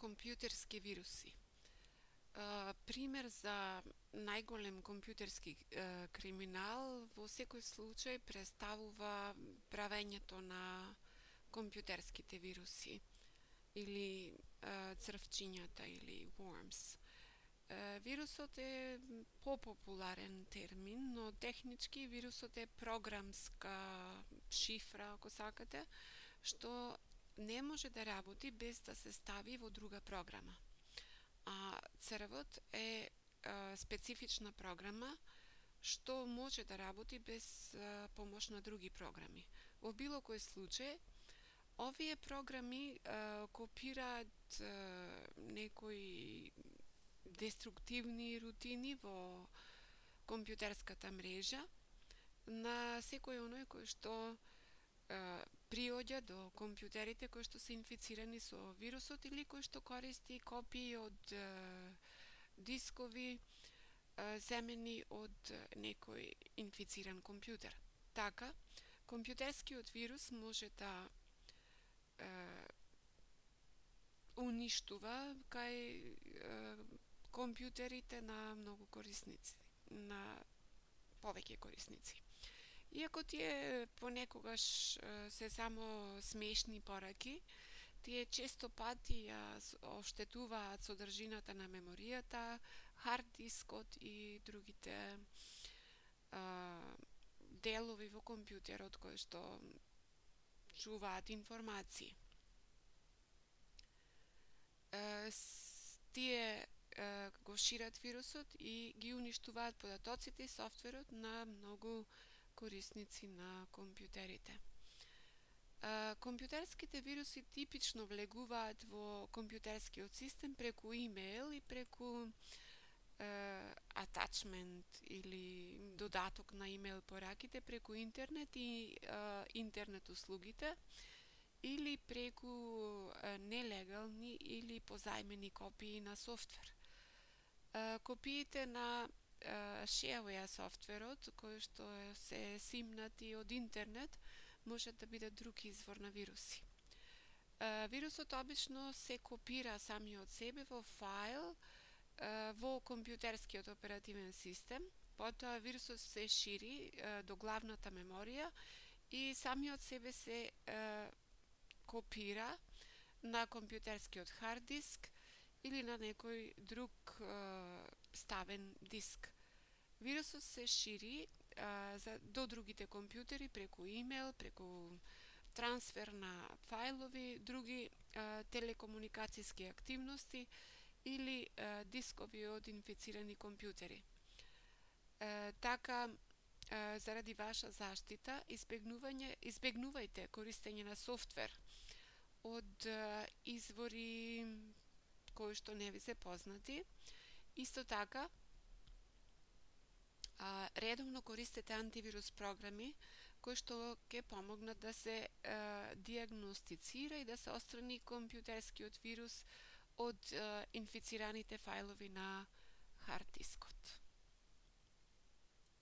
компјутерски вируси. Пример за најголем компјутерски криминал во секој случај представува правењето на компјутерските вируси или црвчињата или worms. Вирусот е попопуларен термин, но технички вирусот е програмска шифра, ако сакате, што не може да работи без да се стави во друга програма. А црвот е специфична програма што може да работи без помош на други програми. Во било кој случај, овие програми копираат некои деструктивни рутини во компјутерската мрежа на секој оној кој што приоѓа до компјутерите кои што се инфицирани со вирусот или кој што користи копии од дискови земени од некој инфициран компјутер. Така, компјутерскиот вирус може да уништува кај компјутерите на многу корисници, на повеќе корисници. Иако тие понекогаш се само смешни пораки, тие често пати ја оштетуваат содржината на меморијата, хард дискот и другите делови во компјутерот кои што чуваат информации. Тие го шират вирусот и ги уништуваат податоците и софтверот на многу корисници на компјутерите. Компјутерските вируси типично влегуваат во компјутерскиот систем преку имејл и преку атачмент или додаток на имејл пораките преку интернет и интернет услугите или преку нелегални или позајмени копии на софтвер. Копиите на shareware софтверот, кои што се симнати од интернет, можат да бидат друг извор на вируси. Вирусот обично се копира самиот себе во файл во компјутерскиот оперативен систем, потоа вирусот се шири до главната меморија и самиот себе се копира на компјутерскиот хард диск или на некој друг ставен диск. Вирусот се шири до другите компјутери преку имејл, преку трансфер на фајлови, други телекомуникацијски активности или дискови од инфицирани компјутери. Така, заради ваша заштита, избегнувајте користење на софтвер од извори кои што не ви се познати. Исто така, редовно користете антивирус програми кои што ќе помогнат да се дијагностицира и да се отстрани компјутерскиот вирус од инфицираните фајлови на хард дискот.